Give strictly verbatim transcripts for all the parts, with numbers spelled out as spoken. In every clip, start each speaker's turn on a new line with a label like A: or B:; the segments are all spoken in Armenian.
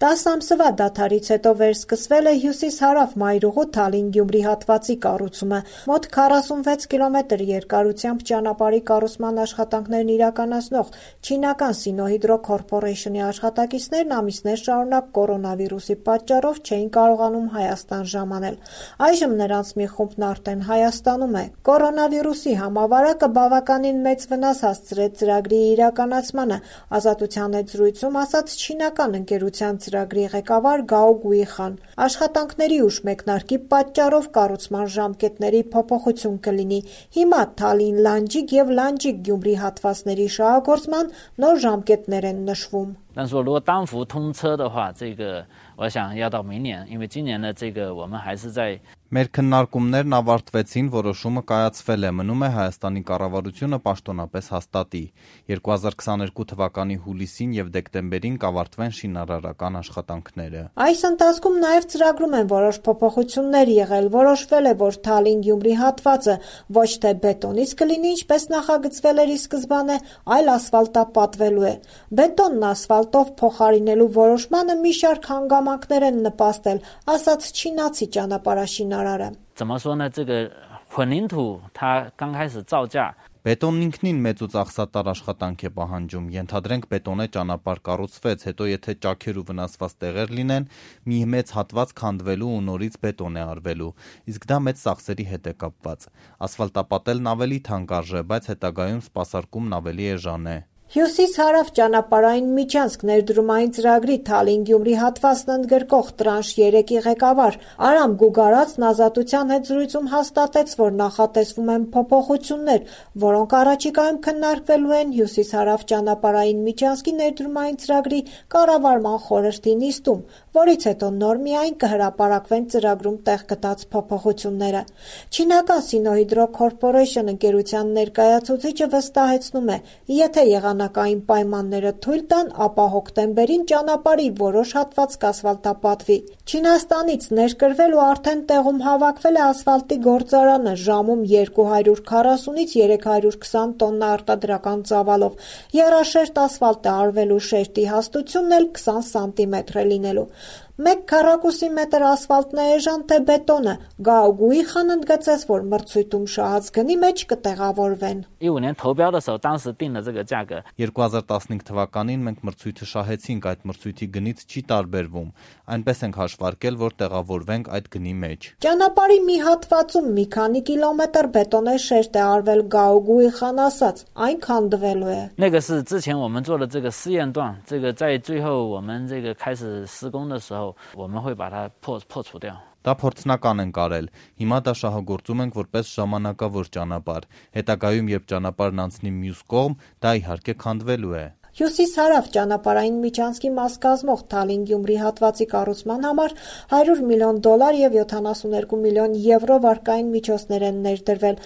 A: տասը ամսվա դադարից հետո վերսկսվել է հյուսիս-հարավ Մայրուղու Թալին-Գյումրի հատվածի կառուցումը։ Մոտ քառասունվեց կիլոմետր երկարությամբ ճանապարհի կառուցման աշխատանքներն իրականացնող չինական Sinohydro Corporation-ի աշխատակիցներն ամիսներ շարունակ կորոնավիրուսի պատճառով չէին կարողանում Հայաստան ժամանել։ Այժմ նրանց մի խումբն արդեն Հայաստանում է։ Կորոնավիրուսի համավարակը բավականին մեծ վնաս հասցրեց ծրագրի իրականացմանը, Ազատության հետ զրույցում ասաց չինական ընկերության ծրագրի ղեկավար Գաո Գուիխան։ Աշխատանքների ուշ մեկնարկի պատճառով կառուցման ժամկետների փոփոխություն կլինի։ Հիմա Թալին-Լանջիկ և Լանջիկ-Գյումրի հատվածների շահագործման նոր ժամկետներ են նշվում։
B: 但是说如果单幅通车的话，这个我想要到明年，因为今年的这个我们还是在
C: Մեր քննարկումներն ավարտվեցին, որոշումը կայացվել է, մնում է Հայաստանի կառավարությունը պաշտոնապես հաստատի։ երկու հազար քսաներկու թվականի հուլիսին և դեկտեմբերին կավարտվեն շինարարական աշխատանքները։
A: Այս ընթացքում նաև ծրագրում են որոշ փոփոխություններ եղել, որոշվել է, որ Թալին-Գյումրի հատվածը ոչ թե բետոնից կլինի, ինչպես նախագծվել էր ի սկզբանե, այլ ասֆալտապատվելու է։ Բետոնն ասֆալտով փոխարինելու որոշմանը մի շարք հանգամանքներ են նպաստել, ասաց չինացի ճանապարհաշինարարը։
B: 怎么说呢？这个混凝土它刚开始造价
C: Բետոնն ինքնին մեծ ու ծախսատար աշխատանք է պահանջում։ Ենթադրենք բետոնե ճանապարհ կառուցվեց, հետո եթե ճաքեր ու վնասված տեղեր լինեն, մի մեծ հատված քանդվելու ու նորից բետոն է արվելու։ Իսկ դա մեծ ծախսերի հետ է կապված։ Ասֆալտապատելն ավելի թանկ արժե, բայց հետագայում սպասարկումն ավելի էժան է։
A: Հյուսիս-հարավ ճանապարհային միջանցք ներդրումային ծրագրի Թալին-Գյումրի հատվածն ընդգրկող տրանշ երեքի ղեկավար Արամ Գուգարացն Ազատության հետ զրույցում հաստատեց, որ նախատեսվում են փոփոխություններ, որոնք առաջիկայում քննարկվելու են հյուսիս-հարավ ճանապարհային միջանցքի ներդրումային ծրագրի կառավարման խորհրդի նիստում, որից հետո նոր միայն կհրապարակվեն ծրագրում տեղ գտած փոփոխությունները։ Չինական Sinohydro Corporation ընկերության ներկայացուցիչը վստահեցնում է, եթե եղանակային պայմանները թույլ տան, ապա հոկտեմբերին ճանապարհի որոշ հատված կասֆալտապատվի։ Չինաստանից ներկրվել ու արդեն տեղում հավաքվել է ասֆալտի գործարանը, ժամում երկու հարյուր քառասունից երեք հարյուր քսան տոննա արտադրական ծավալով։ Եռաշերտ ասֆալտ է արվելու, շերտի հաստությունն էլ քսան սանտիմետր է լինելու։ Մեկ քառակուսի մետր ասֆալտն է էժան թե բետոնը։ Գաո Գուիխան ընդգծեց, որ մրցույթում շահած գնի մեջ կտեղավորվեն։
B: 一五年投标的时候，当时定的这个价格
C: երկու հազար տասնհինգ թվականին մենք մրցույթը շահեցինք, այդ մրցույթի գնից չի տարբերվում։ Այնպես ենք հաշվարկել, որ տեղավորվենք այդ գնի մեջ։
A: Ճանապարհի մի հատվածում մի քանի կիլոմետր բետոնե շերտ է արվել Գաո Գուիխան ասաց, այն քանդվելու է։
B: 那个是之前我们做的这个试验段，这个在最后我们这个开始施工的时候，我们会把它破破除掉。
C: Դա փորձնական ենք արել։ Հիմա դա շահագործում ենք որպես ժամանակավոր ճանապարհ։ Հետագայում, երբ ճանապարհն անցնի մյուս կողմ, դա իհարկե քանդվելու է։
A: Հյուսիս-հարավ ճանապարհային միջանցքի մաս կազմող Թալին-Գյումրի հատվածի կառուցման համար հարյուր միլիոն դոլար և յոթանասունհինգ միլիոն եվրո վարկային միջոցներ են ներդրվել։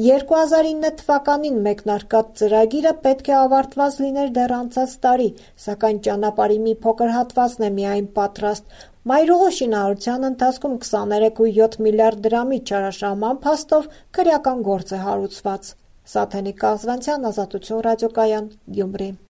A: երկու հազար ինը թվականին մեկնարկած ծրագիրը պետք է ավարտված լիներ դեռ անցած տարի, սակայն ճանապարհի մի փոքր հատվածն է միայն պատրաստ։ Մայրուղու շինարարության ընթացքում քսաներեք ու յոթ միլիարդ դրամի չարաշահման փաստով քրեական գործ է հարուցված։ Սաթենիկ Կազվանցյան, Ազատություն ռադիոկայան, Գյումրի։